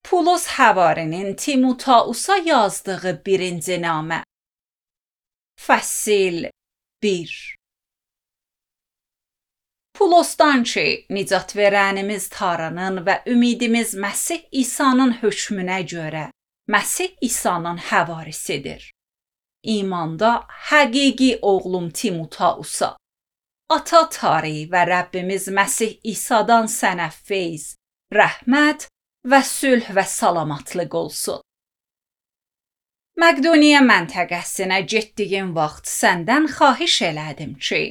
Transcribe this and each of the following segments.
Pulos Həvarinin Timotausa yazdığı birinci namə. Fəsil 1. Pulosdan ki, nicat verənimiz Tanrının və ümidimiz Məsih İsa'nın hökmünə görə Məsih İsa'nın həvarisidir. İmanda həqiqi oğlum Timotausa, Ata Tanrı və Rəbbimiz Məsih İsa'dan sənə feyz, rəhmət və sülh və salamatlıq olsun. Məqdoniya məntəqəsinə getdiyim vaxt səndən xahiş elədim ki,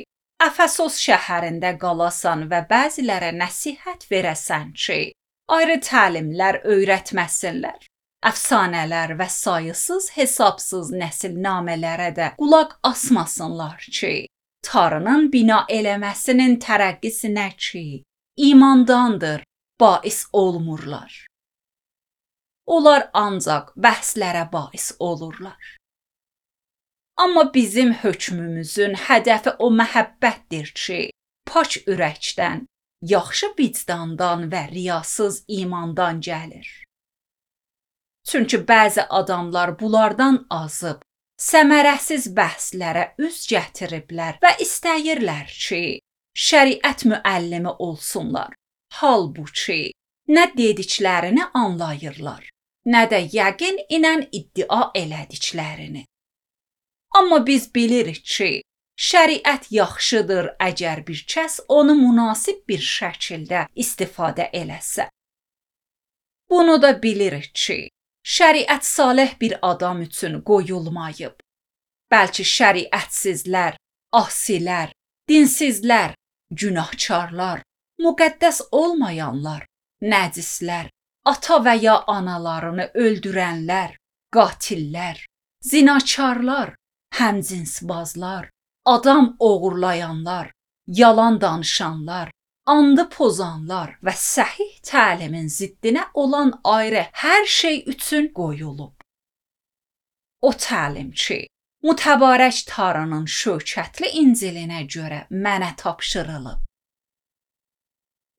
Əfəsos şəhərində qalasan və bəzilərə nəsihət verəsən ki, ayrı təlimlər öyrətməsinlər. Əfsanələr və sayısız hesabsız nəsilnamələrə də qulaq asmasınlar ki, Tanrının bina eləməsinin tərəqqisinə ki, imandandır, bais olmurlar. Onlar ancaq bəhslərə bais olurlar. Amma bizim hökmümüzün hədəfi o məhəbbətdir ki, pak ürəkdən, yaxşı vicdandan və riyasız imandan gəlir. Çünki bəzi adamlar bunlardan azıb, səmərəsiz bəhslərə üz gətiriblər və istəyirlər ki, şəriət müəllimi olsunlar. Halbuki, nə dediklərini anlayırlar, nə də yəqin inən iddia elədiklərini. Amma biz bilirik ki, şəriət yaxşıdır əgər bir kəs onu münasib bir şəkildə istifadə eləsə. Bunu da bilirik ki, şəriət salih bir adam üçün qoyulmayıb. Bəlkə şəriətsizlər, asilər, dinsizlər, günahkarlar, müqəddəs olmayanlar, nəcislər, ata və ya analarını öldürənlər, qatillər, zinakarlar, həmcinsbazlar, adam oğurlayanlar, yalan danışanlar, andı pozanlar və səhih təlimin ziddinə olan ayrı hər şey üçün qoyulub. O təlim ki, mütəbarək Tanrının şövkətli İncilinə görə mənə tapşırılıb.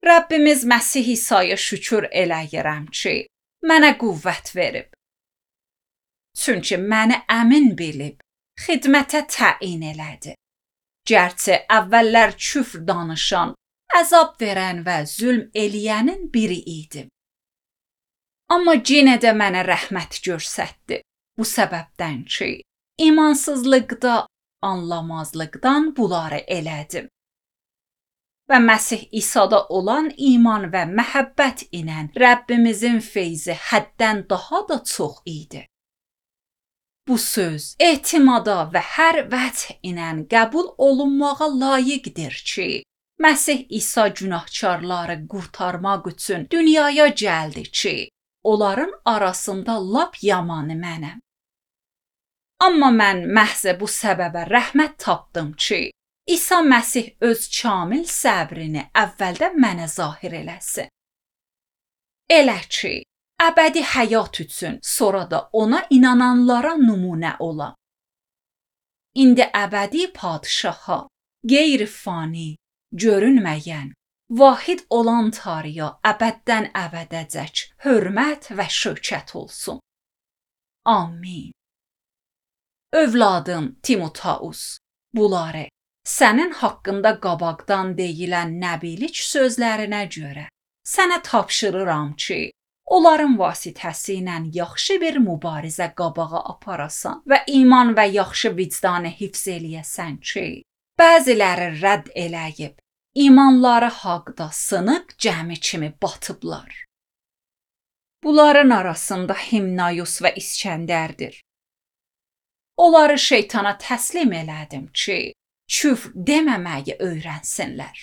Rəbbimiz Məsih İsa'ya şükür eləyirəm ki, mənə qüvvət verib. Çünki məni əmin bilib, xidmətə təyin elədi. Gərçi əvvəllər küfr danışan, əzab verən və zülm eləyənin biri idim. Amma yenə də mənə rəhmət göstərdi. Bu səbəbdən ki, imansızlıqda, anlamazlıqdan bunları elədim. Və Məsih İsa'da olan iman və məhəbbət ilə Rəbbimizin feyzi həddən daha da çox idi. Bu söz etimada və hər vəch ilə qəbul olunmağa layiqdir ki, Məsih İsa günahkarları qurtarmaq üçün dünyaya gəldi ki, onların arasında lap yamanı mənəm. Amma mən məhz bu səbəbə rəhmət tapdım ki, İsa Məsih öz kamil səbrini əvvəldə mənə zahir eləsin. Elə ki, əbədi həyat üçün sonra da ona inananlara nümunə ola. İndi əbədi padişaha, qeyri-fani, görünməyən, vahid olan Tanrıya əbəddən əbədəcək hörmət və şövkət olsun. Amin. Övladım Timotaus, bunları sənin haqqında qabaqdan deyilən nəbilik sözlərinə görə sənə tapşırıram ki, onların vasitəsilə yaxşı bir mübarizə qabağa aparasan və iman və yaxşı vicdanı hifz eləyəsən ki, bəziləri rədd eləyib, imanları haqda sınıq gəmi kimi batıblar. Bunların arasında Himnayus və İskəndərdir. Onları şeytana təslim elədim ki, küfr deməməyi öyrənsinlər.